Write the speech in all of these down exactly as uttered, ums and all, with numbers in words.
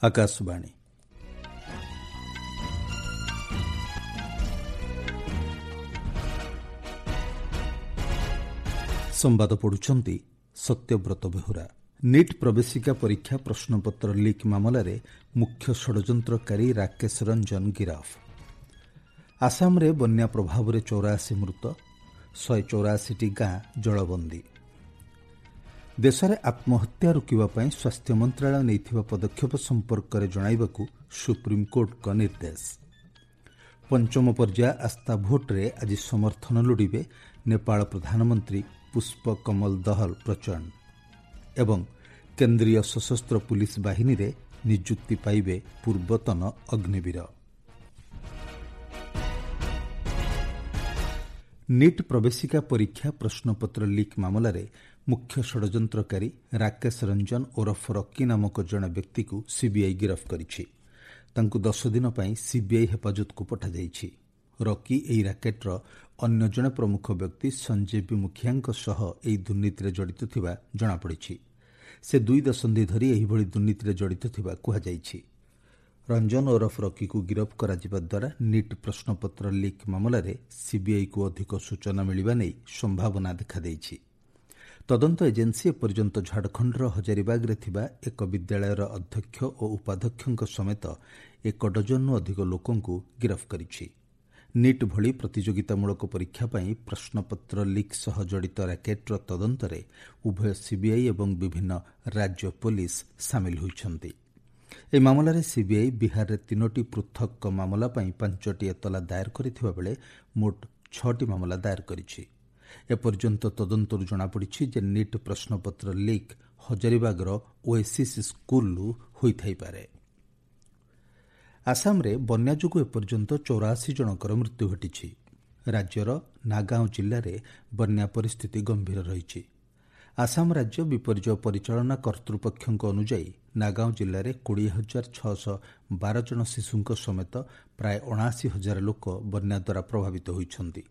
ଆକାଶବାଣୀ। ସମ୍ବାଦ ପଢୁଛନ୍ତି ସତ୍ୟବ୍ରତ ବେହୁରା। ନିଟ୍ ପ୍ରବେଶିକା ପରୀକ୍ଷା ପ୍ରଶ୍ନପତ୍ର ଲିକ୍ ମାମଲାରେ ମୁଖ୍ୟ ଷଡ଼ଯନ୍ତ୍ରକାରୀ ରାକେଶ ରଞ୍ଜନ ଗିରଫ। ଆସାମରେ ବନ୍ୟା ପ୍ରଭାବରେ ଚଉରାଅଶୀ ମୃତ, ଶହେ ଚଉରାଅଶୀଟି ଗାଁ ଜଳବନ୍ଦୀ। ଦେଶରେ ଆତ୍ମହତ୍ୟା ରୋକିବା ପାଇଁ ସ୍ୱାସ୍ଥ୍ୟ ମନ୍ତ୍ରଣାଳୟ ନେଇଥିବା ପଦକ୍ଷେପ ସମ୍ପର୍କରେ ଜଣାଇବାକୁ ସୁପ୍ରିମକୋର୍ଟଙ୍କ ନିର୍ଦ୍ଦେଶ। ପଞ୍ଚମ ପର୍ଯ୍ୟାୟ ଆସ୍ଥା ଭୋଟ୍ରେ ଆଜି ସମର୍ଥନ ଲୋଡ଼ିବେ ନେପାଳ ପ୍ରଧାନମନ୍ତ୍ରୀ ପୁଷ୍ପ କମଲ ଦହଲ ପ୍ରଚଣ୍ଡ ଏବଂ କେନ୍ଦ୍ରୀୟ ସଶସ୍ତ୍ର ପୁଲିସ୍ ବାହିନୀରେ ନିଯୁକ୍ତି ପାଇବେ ପୂର୍ବତନ ଅଗ୍ନିବୀର। ନିଟ୍ ପ୍ରବେଶିକା ପରୀକ୍ଷା ପ୍ରଶ୍ନପତ୍ର ଲିକ୍ ମାମଲାରେ ମୁଖ୍ୟ ଷଡ଼ଯନ୍ତ୍ରକାରୀ ରାକେଶ ରଞ୍ଜନ ଓରଫ ରକି ନାମକ ଜଣେ ବ୍ୟକ୍ତିକୁ ସିବିଆଇ ଗିରଫ କରିଛି। ତାଙ୍କୁ ଦଶ ଦିନ ପାଇଁ ସିବିଆଇ ହେପାଜତକୁ ପଠାଯାଇଛି। ରକି ଏହି ରାକେଟ୍ର ଅନ୍ୟ ଜଣେ ପ୍ରମୁଖ ବ୍ୟକ୍ତି ସଞ୍ଜୀବ ମୁଖିଆଙ୍କ ସହ ଏହି ଦୁର୍ନୀତିରେ ଜଡ଼ିତ ଥିବା ଜଣାପଡ଼ିଛି। ସେ ଦୁଇ ଦଶନ୍ଧି ଧରି ଏହିଭଳି ଦୁର୍ନୀତିରେ ଜଡ଼ିତ ଥିବା କୁହାଯାଇଛି। ରଞ୍ଜନ ଓରଫ ରକିକୁ ଗିରଫ କରାଯିବା ଦ୍ୱାରା ନିଟ୍ ପ୍ରଶ୍ନପତ୍ର ଲିକ୍ ମାମଲାରେ ସିବିଆଇକୁ ଅଧିକ ସୂଚନା ମିଳିବା ନେଇ ସମ୍ଭାବନା ଦେଖାଦେଇଛି। ତଦନ୍ତ ଏଜେନ୍ସି ଏପର୍ଯ୍ୟନ୍ତ ଝାଡ଼ଖଣ୍ଡର ହଜାରିବାଗରେ ଥିବା ଏକ ବିଦ୍ୟାଳୟର ଅଧ୍ୟକ୍ଷ ଓ ଉପାଧ୍ୟକ୍ଷଙ୍କ ସମେତ ଏକ ଡଜନରୁ ଅଧିକ ଲୋକଙ୍କୁ ଗିରଫ କରିଛି। ନିଟ୍ ଭଳି ପ୍ରତିଯୋଗିତାମୂଳକ ପରୀକ୍ଷା ପାଇଁ ପ୍ରଶ୍ନପତ୍ର ଲିକ୍ ସହ ଜଡ଼ିତ ରାକେଟ୍ର ତଦନ୍ତରେ ଉଭୟ ସିବିଆଇ ଏବଂ ବିଭିନ୍ନ ରାଜ୍ୟ ପୋଲିସ ସାମିଲ ହୋଇଛନ୍ତି। ଏହି ମାମଲାରେ ସିବିଆଇ ବିହାରରେ ତିନୋଟି ପୃଥକ ମାମଲା ପାଇଁ ପାଞ୍ଚଟି ଏତଲା ଦାଏର କରିଥିବା ବେଳେ ମୋଟ ଛଅଟି ମାମଲା ଦାଏର କରିଛି। ଏପର୍ଯ୍ୟନ୍ତ ତଦନ୍ତରୁ ଜଣାପଡ଼ିଛି ଯେ ନିଟ୍ ପ୍ରଶ୍ନପତ୍ର ଲିକ୍ ହଜାରିବାଗର ଓଏସିସ୍ ସ୍କୁଲରୁ ହୋଇଥାଇପାରେ। ଆସାମରେ ବନ୍ୟା ଯୋଗୁଁ ଏପର୍ଯ୍ୟନ୍ତ ଚଉରାଅଶୀ ଜଣଙ୍କର ମୃତ୍ୟୁ ଘଟିଛି। ରାଜ୍ୟର ନାଗାଓଁ ଜିଲ୍ଲାରେ ବନ୍ୟା ପରିସ୍ଥିତି ଗମ୍ଭୀର ରହିଛି। ଆସାମ ରାଜ୍ୟ ବିପର୍ଯ୍ୟୟ ପରିଚାଳନା କର୍ତ୍ତୃପକ୍ଷଙ୍କ ଅନୁଯାୟୀ ନାଗାଓଁ ଜିଲ୍ଲାରେ କୋଡ଼ିଏ ହଜାର ଛଅଶହ ବାର ଜଣ ଶିଶୁଙ୍କ ସମେତ ପ୍ରାୟ ଅଣାଅଶୀ ହଜାର ଲୋକ ବନ୍ୟା ଦ୍ୱାରା ପ୍ରଭାବିତ ହୋଇଛନ୍ତି।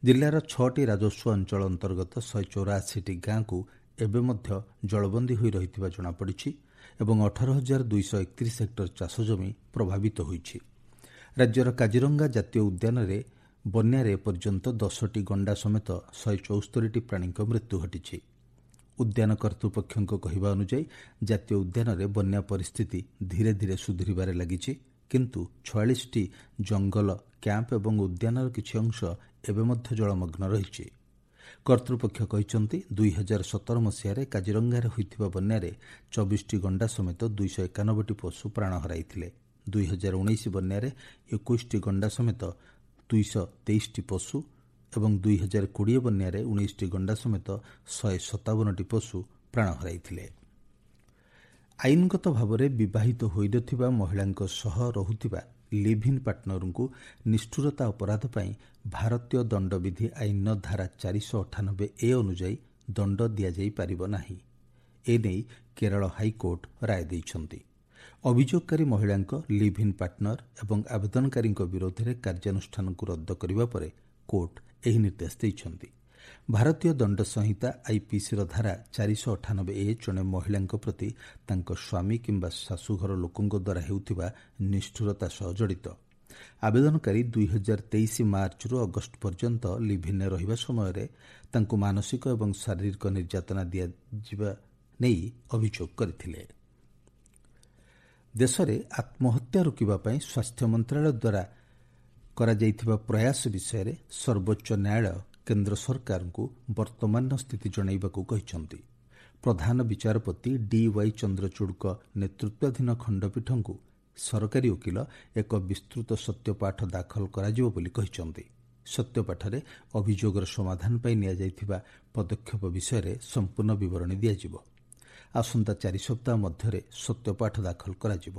ଜିଲ୍ଲାର ଛଅଟି ରାଜସ୍ୱ ଅଞ୍ଚଳ ଅନ୍ତର୍ଗତ ଶହେ ଚଉରାଅଶୀଟି ଗାଁକୁ ଏବେ ମଧ୍ୟ ଜଳବନ୍ଦୀ ହୋଇ ରହିଥିବା ଜଣାପଡ଼ିଛି ଏବଂ ଅଠର ହଜାର ଦୁଇଶହ ଏକତିରିଶ ହେକ୍ଟର ଚାଷଜମି ପ୍ରଭାବିତ ହୋଇଛି। ରାଜ୍ୟର କାଜିରଙ୍ଗା ଜାତୀୟ ଉଦ୍ୟାନରେ ବନ୍ୟାରେ ଏପର୍ଯ୍ୟନ୍ତ ଦଶଟି ଗଣ୍ଡା ସମେତ ଶହେ ଚଉସ୍ତରୀଟି ପ୍ରାଣୀଙ୍କ ମୃତ୍ୟୁ ଘଟିଛି। ଉଦ୍ୟାନ କର୍ତ୍ତୃପକ୍ଷଙ୍କ କହିବା ଅନୁଯାୟୀ ଜାତୀୟ ଉଦ୍ୟାନରେ ବନ୍ୟା ପରିସ୍ଥିତି ଧୀରେ ଧୀରେ ସୁଧୁରିବାରେ ଲାଗିଛି, କିନ୍ତୁ ଛୟାଳିଶଟି ଜଙ୍ଗଲ କ୍ୟାମ୍ପ ଏବଂ ଉଦ୍ୟାନର କିଛି ଅଂଶ ଏବେ ମଧ୍ୟ ଜଳମଗ୍ନ ରହିଛି। କର୍ତ୍ତୃପକ୍ଷ କହିଛନ୍ତି, ଦୁଇ ହଜାର ସତର ମସିହାରେ କାଜିରଙ୍ଗାରେ ହୋଇଥିବା ବନ୍ୟାରେ ଚବିଶଟି ଗଣ୍ଡା ସମେତ ଦୁଇଶହ ଏକାନବେଟି ପଶୁ ପ୍ରାଣ ହରାଇଥିଲେ। ଦୁଇ ହଜାର ଉଣେଇଶ ବନ୍ୟାରେ ଏକୋଇଶଟି ଗଣ୍ଡା ସମେତ ଦୁଇଶହ ତେଇଶଟି ପଶୁ ଏବଂ ଦୁଇ ହଜାର କୋଡ଼ିଏ ବନ୍ୟାରେ ଉଣେଇଶଟି ଗଣ୍ଡା ସମେତ ଶହେ ସତାବନଟି ପଶୁ ପ୍ରାଣ ହରାଇଥିଲେ। ଆଇନଗତ ଭାବରେ ବିବାହିତ ହୋଇନଥିବା ମହିଳାଙ୍କ ସହ ରହୁଥିବା ଲିଭ୍ ଇନ୍ ପାର୍ଟନରଙ୍କୁ ନିଷ୍ଠୁରତା ଅପରାଧ ପାଇଁ ଭାରତୀୟ ଦଣ୍ଡବିଧି ଆଇନର ଧାରା ଚାରିଶହ ଅଠାନବେ ଏ ଅନୁଯାୟୀ ଦଣ୍ଡ ଦିଆଯାଇପାରିବ ନାହିଁ। ଏନେଇ କେରଳ ହାଇକୋର୍ଟ ରାୟ ଦେଇଛନ୍ତି। ଅଭିଯୋଗକାରୀ ମହିଳାଙ୍କ ଲିଭ୍ ଇନ୍ ପାର୍ଟନର ଏବଂ ଆବେଦନକାରୀଙ୍କ ବିରୋଧରେ କାର୍ଯ୍ୟାନୁଷ୍ଠାନକୁ ରଦ୍ଦ କରିବା ପରେ କୋର୍ଟ ଏହି ନିର୍ଦ୍ଦେଶ ଦେଇଛନ୍ତି। ଭାରତୀୟ ଦଣ୍ଡ ସଂହିତା ଆଇପିସିର ଧାରା ଚାରିଶହ ଅଠାନବେ ଏ ଜଣେ ମହିଳାଙ୍କ ପ୍ରତି ତାଙ୍କ ସ୍ୱାମୀ କିମ୍ବା ଶାଶୁଘର ଲୋକଙ୍କ ଦ୍ୱାରା ହେଉଥିବା ନିଷ୍ଠୁରତା ସହ ଜଡ଼ିତ। ଆବେଦନକାରୀ ଦୁଇ ହଜାର ତେଇଶ ମାର୍ଚ୍ଚରୁ ଅଗଷ୍ଟ ପର୍ଯ୍ୟନ୍ତ ଲିଭ୍-ଇନ୍ରେ ରହିବା ସମୟରେ ତାଙ୍କୁ ମାନସିକ ଏବଂ ଶାରୀରିକ ନିର୍ଯାତନା ଦିଆଯିବା ନେଇ ଅଭିଯୋଗ କରିଥିଲେ। ଦେଶରେ ଆତ୍ମହତ୍ୟା ରୋକିବା ପାଇଁ ସ୍ୱାସ୍ଥ୍ୟ ମନ୍ତ୍ରଣାଳୟ ଦ୍ୱାରା କରାଯାଇଥିବା ପ୍ରୟାସ ବିଷୟରେ ସର୍ବୋଚ୍ଚ ନ୍ୟାୟାଳୟ କେନ୍ଦ୍ର ସରକାରଙ୍କୁ ବର୍ତ୍ତମାନର ସ୍ଥିତି ଜଣାଇବାକୁ କହିଛନ୍ତି। ପ୍ରଧାନ ବିଚାରପତି ଡି ୱାଇ ଚନ୍ଦ୍ରଚୂଡ଼ଙ୍କ ନେତୃତ୍ୱାଧୀନ ଖଣ୍ଡପୀଠଙ୍କୁ ସରକାରୀ ଓକିଲ ଏକ ବିସ୍ତୃତ ସତ୍ୟପାଠ ଦାଖଲ କରାଯିବ ବୋଲି କହିଛନ୍ତି। ସତ୍ୟପାଠରେ ଅଭିଯୋଗର ସମାଧାନ ପାଇଁ ନିଆଯାଇଥିବା ପଦକ୍ଷେପ ବିଷୟରେ ସମ୍ପୂର୍ଣ୍ଣ ବିବରଣୀ ଦିଆଯିବ। ଆସନ୍ତା ଚାରି ସପ୍ତାହ ମଧ୍ୟରେ ସତ୍ୟପାଠ ଦାଖଲ କରାଯିବ।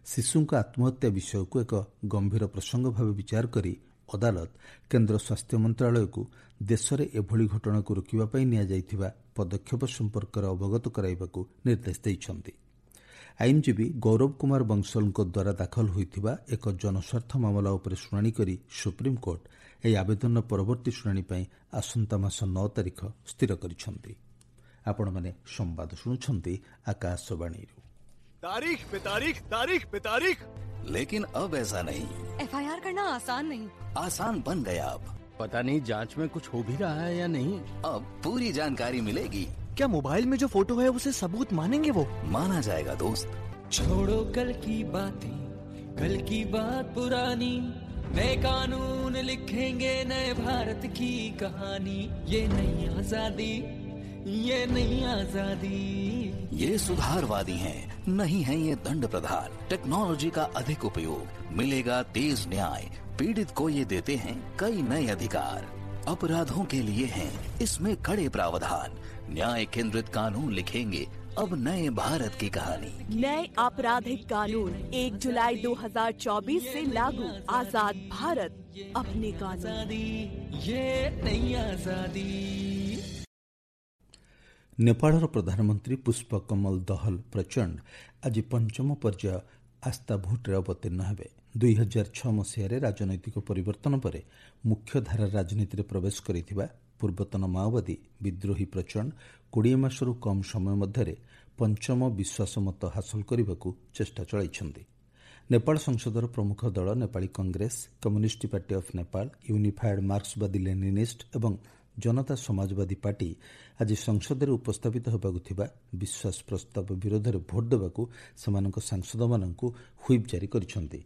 ଶିଶୁଙ୍କ ଆତ୍ମହତ୍ୟା ବିଷୟକୁ ଏକ ଗମ୍ଭୀର ପ୍ରସଙ୍ଗ ଭାବେ ବିଚାର କରି ଅଦାଲତ କେନ୍ଦ୍ର ସ୍ୱାସ୍ଥ୍ୟ ମନ୍ତ୍ରଣାଳୟକୁ ଦେଶରେ ଏଭଳି ଘଟଣାକୁ ରୋକିବା ପାଇଁ ନିଆଯାଇଥିବା ପଦକ୍ଷେପ ସମ୍ପର୍କରେ ଅବଗତ କରାଇବାକୁ ନିର୍ଦ୍ଦେଶ ଦେଇଛନ୍ତି। ଆଇନଜୀବୀ ଗୌରବ କୁମାର ବଂଶଲଙ୍କ ଦ୍ୱାରା ଦାଖଲ ହୋଇଥିବା ଏକ ଜନସ୍ୱାର୍ଥ ମାମଲା ଉପରେ ଶୁଣାଣି କରି ସୁପ୍ରିମକୋର୍ଟ ଏହି ଆବେଦନର ପରବର୍ତ୍ତୀ ଶୁଣାଣି ପାଇଁ ଆସନ୍ତା ମାସ ନଅ ତାରିଖ ସ୍ଥିର କରିଛନ୍ତି। ଆପଣମାନେ ସମ୍ବାଦ ଶୁଣୁଛନ୍ତି ଆକାଶବାଣୀରୁ। तारीख पे तारीख, तारीख पे तारीख। लेकिन अब ऐसा नहीं। एफ I R करना आसान नहीं, आसान बन गया अब। पता नहीं जांच में कुछ हो भी रहा है या नहीं। अब पूरी जानकारी मिलेगी। क्या मोबाइल में जो फोटो है उसे सबूत मानेंगे वो? माना जाएगा दोस्त। छोड़ो कल की बातें, कल की बात पुरानी, नए कानून लिखेंगे नए भारत की कहानी। ये नई आजादी, ये नई आजादी। ये सुधारवादी हैं, नहीं है ये दंड प्रधान। टेक्नोलॉजी का अधिक उपयोग, मिलेगा तेज न्याय। पीड़ित को ये देते हैं कई नए अधिकार। अपराधों के लिए हैं इसमें कड़े प्रावधान। न्याय केंद्रित कानून लिखेंगे अब नए भारत की कहानी। नए आपराधिक कानून एक जुलाई दो हज़ार चौबीस से लागू। आजाद भारत, अपने कानून। ये नई आजादी। ନେପାଳର ପ୍ରଧାନମନ୍ତ୍ରୀ ପୁଷ୍ପ କମଲ ଦହଲ ପ୍ରଚଣ୍ଡ ଆଜି ପଞ୍ଚମ ପର୍ଯ୍ୟାୟ ଆସ୍ଥା ଭୋଟ୍ରେ ଅବତୀର୍ଣ୍ଣ ହେବେ। ଦୁଇ ହଜାର ଛଅ ମସିହାରେ ରାଜନୈତିକ ପରିବର୍ତ୍ତନ ପରେ ମୁଖ୍ୟଧାରା ରାଜନୀତିରେ ପ୍ରବେଶ କରିଥିବା ପୂର୍ବତନ ମାଓବାଦୀ ବିଦ୍ରୋହୀ ପ୍ରଚଣ୍ଡ କୋଡ଼ିଏ ମାସରୁ କମ୍ ସମୟ ମଧ୍ୟରେ ପଞ୍ଚମ ବିଶ୍ୱାସମତ ହାସଲ କରିବାକୁ ଚେଷ୍ଟା ଚଳାଇଛନ୍ତି। ନେପାଳ ସଂସଦର ପ୍ରମୁଖ ଦଳ Nepali Congress, Communist Party of Nepal, Unified Marxwadi Leninist ଏବଂ ଜନତା ସମାଜବାଦୀ ପାର୍ଟି ଆଜି ସଂସଦରେ ଉପସ୍ଥାପିତ ହେବାକୁ ଥିବା ବିଶ୍ୱାସ ପ୍ରସ୍ତାବ ବିରୋଧରେ ଭୋଟ୍ ଦେବାକୁ ସେମାନଙ୍କ ସାଂସଦମାନଙ୍କୁ ହ୍ୱିପ୍ ଜାରି କରିଛନ୍ତି।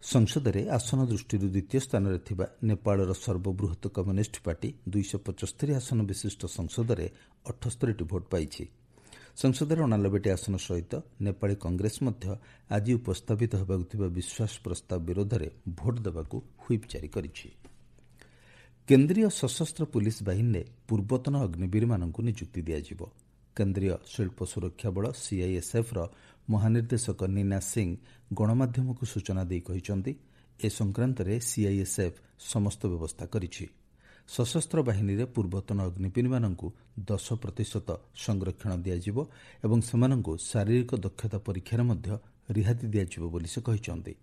ସଂସଦରେ ଆସନ ଦୃଷ୍ଟିରୁ ଦ୍ୱିତୀୟ ସ୍ଥାନରେ ଥିବା ନେପାଳର ସର୍ବବୃହତ କମ୍ୟୁନିଷ୍ଟ ପାର୍ଟି ଦୁଇଶହ ପଞ୍ଚସ୍ତରୀ ଆସନ ବିଶିଷ୍ଟ ସଂସଦରେ ଅଠସ୍ତରୀଟି ଭୋଟ୍ ପାଇଛି। ସଂସଦରେ ଅଣାନବେଟି ଆସନ ସହିତ ନେପାଳୀ କଂଗ୍ରେସ ମଧ୍ୟ ଆଜି ଉପସ୍ଥାପିତ ହେବାକୁ ଥିବା ବିଶ୍ୱାସ ପ୍ରସ୍ତାବ ବିରୋଧରେ ଭୋଟ୍ ଦେବାକୁ ହ୍ୱିପ୍ ଜାରି କରିଛି। କେନ୍ଦ୍ରୀୟ ସଶସ୍ତ୍ର ପୁଲିସ୍ ବାହିନୀରେ ପୂର୍ବତନ ଅଗ୍ନିବୀରମାନଙ୍କୁ ନିଯୁକ୍ତି ଦିଆଯିବ। କେନ୍ଦ୍ରୀୟ ଶିଳ୍ପ ସୁରକ୍ଷା ବଳ ସିଆଇଏସ୍ଏଫ୍ର ମହାନିର୍ଦ୍ଦେଶକ ନୀନା ସିଂ ଗଣମାଧ୍ୟମକୁ ସୂଚନା ଦେଇ କହିଛନ୍ତି, ଏ ସଂକ୍ରାନ୍ତରେ ସିଆଇଏସ୍ଏଫ୍ ସମସ୍ତ ବ୍ୟବସ୍ଥା କରିଛି। ସଶସ୍ତ୍ର ବାହିନୀରେ ପୂର୍ବତନ ଅଗ୍ନିବୀରମାନଙ୍କୁ ଦଶ ପ୍ରତିଶତ ସଂରକ୍ଷଣ ଦିଆଯିବ ଏବଂ ସେମାନଙ୍କୁ ଶାରୀରିକ ଦକ୍ଷତା ପରୀକ୍ଷାରେ ମଧ୍ୟ ରିହାତି ଦିଆଯିବ ବୋଲି ସେ କହିଛନ୍ତି।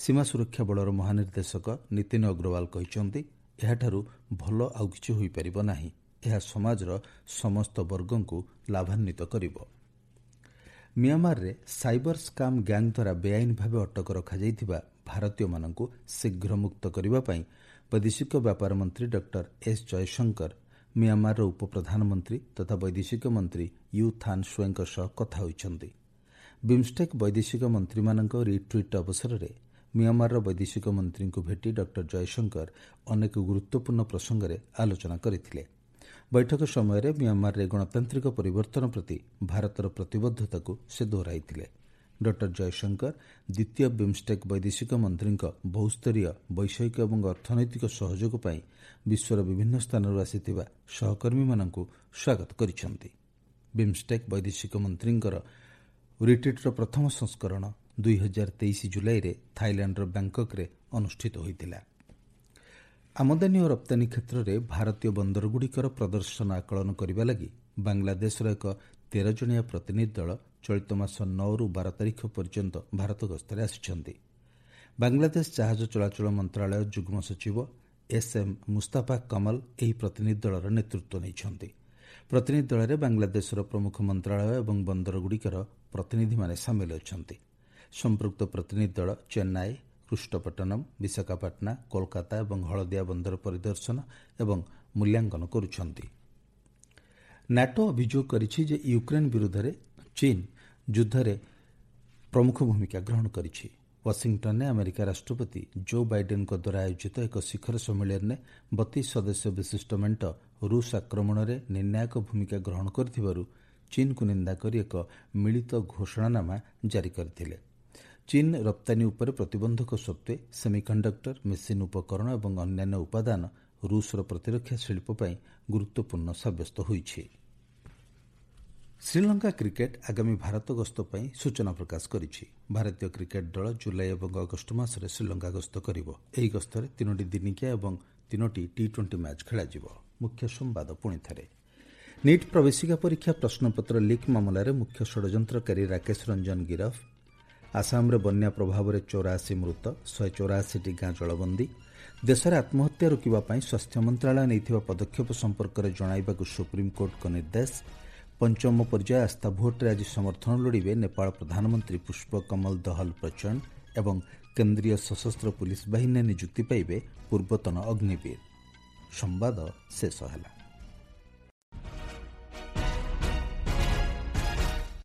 ସୀମା ସୁରକ୍ଷା ବଳର ମହାନିର୍ଦ୍ଦେଶକ ନୀତିନ ଅଗ୍ରୱାଲ କହିଛନ୍ତି, ଏହାଠାରୁ ଭଲ ଆଉ କିଛି ହୋଇପାରିବ ନାହିଁ। ଏହା ସମାଜର ସମସ୍ତ ବର୍ଗଙ୍କୁ ଲାଭାନ୍ୱିତ କରିବ। ମିଆଁମାରରେ ସାଇବର ସ୍କାମ୍ ଗ୍ୟାଙ୍ଗ ଦ୍ୱାରା ବେଆଇନ ଭାବେ ଅଟକ ରଖାଯାଇଥିବା ଭାରତୀୟମାନଙ୍କୁ ଶୀଘ୍ର ମୁକ୍ତ କରିବା ପାଇଁ ବୈଦେଶିକ ବ୍ୟାପାର ମନ୍ତ୍ରୀ ଡକ୍ଟର ଏସ୍ ଜୟଶଙ୍କର ମିଆଁମାରର ଉପପ୍ରଧାନମନ୍ତ୍ରୀ ତଥା ବୈଦେଶିକ ମନ୍ତ୍ରୀ you ଥାନ୍ ସ୍ୱେଙ୍କ ସହ କଥା ହୋଇଛନ୍ତି। ବିମ୍ଷ୍ଟେକ୍ ବୈଦେଶିକ ମନ୍ତ୍ରୀମାନଙ୍କ ରିଟ୍ରିଟ୍ ଅବସରରେ ମିଆଁମାରର ବୈଦେଶିକ ମନ୍ତ୍ରୀଙ୍କୁ ଭେଟି ଡକ୍ଟର ଜୟଶଙ୍କର ଅନେକ ଗୁରୁତ୍ୱପୂର୍ଣ୍ଣ ପ୍ରସଙ୍ଗରେ ଆଲୋଚନା କରିଥିଲେ। ବୈଠକ ସମୟରେ ମିଆଁମାରରେ ଗଣତାନ୍ତ୍ରିକ ପରିବର୍ତ୍ତନ ପ୍ରତି ଭାରତର ପ୍ରତିବଦ୍ଧତାକୁ ସେ ଦୋହରାଇଥିଲେ। ଡକ୍ଟର ଜୟଶଙ୍କର ଦ୍ୱିତୀୟ ବିମ୍ଷ୍ଟେକ୍ ବୈଦେଶିକ ମନ୍ତ୍ରୀଙ୍କ ବହୁସ୍ତରୀୟ ବୈଷୟିକ ଏବଂ ଅର୍ଥନୈତିକ ସହଯୋଗ ପାଇଁ ବିଶ୍ୱର ବିଭିନ୍ନ ସ୍ଥାନରୁ ଆସିଥିବା ସହକର୍ମୀମାନଙ୍କୁ ସ୍ୱାଗତ କରିଛନ୍ତି। ବିମ୍ଷ୍ଟେକ୍ ବୈଦେଶିକ ମନ୍ତ୍ରୀଙ୍କର ରିଟ୍ରିଟ୍ର ପ୍ରଥମ ସଂସ୍କରଣ ଦୁଇ ହଜାର ତେଇଶ ଜୁଲାଇରେ ଥାଇଲାଣ୍ଡର ବ୍ୟାଙ୍କକରେ ଅନୁଷ୍ଠିତ ହୋଇଥିଲା। ଆମଦାନୀ ଓ ରପ୍ତାନୀ କ୍ଷେତ୍ରରେ ଭାରତୀୟ ବନ୍ଦରଗୁଡ଼ିକର ପ୍ରଦର୍ଶନ ଆକଳନ କରିବା ଲାଗି ବାଂଲାଦେଶର ଏକ ତେର ଜଣିଆ ପ୍ରତିନିଧି ଦଳ ଚଳିତ ମାସ ନଅରୁ ବାର ତାରିଖ ପର୍ଯ୍ୟନ୍ତ ଭାରତ ଗସ୍ତରେ ଆସିଛନ୍ତି। ବାଂଲାଦେଶ ଜାହାଜ ଚଳାଚଳ ମନ୍ତ୍ରଣାଳୟ ଯୁଗ୍ମ ସଚିବ ଏସ୍ ଏମ୍ ମୁସ୍ତାଫା କମଲ ଏହି ପ୍ରତିନିଧି ଦଳର ନେତୃତ୍ୱ ନେଇଛନ୍ତି। ପ୍ରତିନିଧି ଦଳରେ ବାଂଲାଦେଶର ପ୍ରମୁଖ ମନ୍ତ୍ରଣାଳୟ ଏବଂ ବନ୍ଦରଗୁଡ଼ିକର ପ୍ରତିନିଧିମାନେ ସାମିଲ ଅଛନ୍ତି। ସମ୍ପୃକ୍ତ ପ୍ରତିନିଧି ଦଳ ଚେନ୍ନାଇ, କୃଷ୍ଣପଟ୍ଟନମ୍, ବିଶାଖାପାଟଣା, କୋଲକାତା ଏବଂ ହଳଦିଆ ବନ୍ଦର ପରିଦର୍ଶନ ଏବଂ ମୂଲ୍ୟାଙ୍କନ କରୁଛନ୍ତି। ନାଟୋ ଅଭିଯୋଗ କରିଛି ଯେ ୟୁକ୍ରେନ୍ ବିରୁଦ୍ଧରେ ଚୀନ୍ ଯୁଦ୍ଧରେ ପ୍ରମୁଖ ଭୂମିକା ଗ୍ରହଣ କରିଛି। ୱାଶିଂଟନରେ ଆମେରିକା ରାଷ୍ଟ୍ରପତି ଜୋ ବାଇଡେନ୍ଙ୍କ ଦ୍ୱାରା ଆୟୋଜିତ ଏକ ଶିଖର ସମ୍ମିଳନୀରେ ବତିଶ ସଦସ୍ୟ ବିଶିଷ୍ଟ ମେଣ୍ଟ ରୁଷ ଆକ୍ରମଣରେ ନିର୍ଣ୍ଣାୟକ ଭୂମିକା ଗ୍ରହଣ କରିଥିବାରୁ ଚୀନ୍କୁ ନିନ୍ଦା କରି ଏକ ମିଳିତ ଘୋଷଣାନାମା ଜାରି କରିଥିଲେ। ଚୀନ୍ ରପ୍ତାନୀ ଉପରେ ପ୍ରତିବନ୍ଧକ ସତ୍ତ୍ୱେ ସେମିକଣ୍ଡକ୍ଟର, ମେସିନ୍ ଉପକରଣ ଏବଂ ଅନ୍ୟାନ୍ୟ ଉପାଦାନ ରୁଷର ପ୍ରତିରକ୍ଷା ଶିଳ୍ପ ପାଇଁ ଗୁରୁତ୍ୱପୂର୍ଣ୍ଣ ସାବ୍ୟସ୍ତ ହୋଇଛି। ଶ୍ରୀଲଙ୍କା କ୍ରିକେଟ୍ ଆଗାମୀ ଭାରତ ଗସ୍ତ ପାଇଁ ସୂଚନା ପ୍ରକାଶ କରିଛି। ଭାରତୀୟ କ୍ରିକେଟ୍ ଦଳ ଜୁଲାଇ ଏବଂ ଅଗଷ୍ଟ ମାସରେ ଶ୍ରୀଲଙ୍କା ଗସ୍ତ କରିବ। ଏହି ଗସ୍ତରେ ତିନୋଟି ଦିନିକିଆ ଏବଂ ତିନୋଟି ଟି ଟ୍ୱେଣ୍ଟି ମ୍ୟାଚ୍ ଖେଳାଯିବ। ମୁଖ୍ୟ ସମ୍ବାଦ ପୁଣିଥରେ। ନିଟ୍ ପ୍ରବେଶିକା ପରୀକ୍ଷା ପ୍ରଶ୍ନପତ୍ର ଲିକ୍ ମାମଲାରେ ମୁଖ୍ୟ ଷଡ଼ଯନ୍ତ୍ରକାରୀ ରାକେଶ ରଞ୍ଜନ ଗିରଫ। ଆସାମରେ ବନ୍ୟା ପ୍ରଭାବରେ ଚଉରାଅଶୀ ମୃତ, ଶହେ ଚଉରାଅଶୀଟି ଗାଁ ଜଳବନ୍ଦୀ। ଦେଶରେ ଆତ୍ମହତ୍ୟା ରୋକିବା ପାଇଁ ସ୍ୱାସ୍ଥ୍ୟ ମନ୍ତ୍ରଣାଳୟ ନେଇଥିବା ପଦକ୍ଷେପ ସମ୍ପର୍କରେ ଜଣାଇବାକୁ ସୁପ୍ରିମକୋର୍ଟଙ୍କ ନିର୍ଦ୍ଦେଶ। ପଞ୍ଚମ ପର୍ଯ୍ୟାୟ ଆସ୍ଥା ଭୋଟ୍ରେ ଆଜି ସମର୍ଥନ ଲୋଡ଼ିବେ ନେପାଳ ପ୍ରଧାନମନ୍ତ୍ରୀ ପୁଷ୍ପକମଲ ଦହଲ ପ୍ରଚଣ୍ଡ ଏବଂ କେନ୍ଦ୍ରୀୟ ସଶସ୍ତ୍ର ପୁଲିସ୍ ବାହିନୀରେ ନିଯୁକ୍ତି ପାଇବେ ପୂର୍ବତନ ଅଗ୍ନିବୀର। ସମ୍ବାଦ ଶେଷ ହେଲା।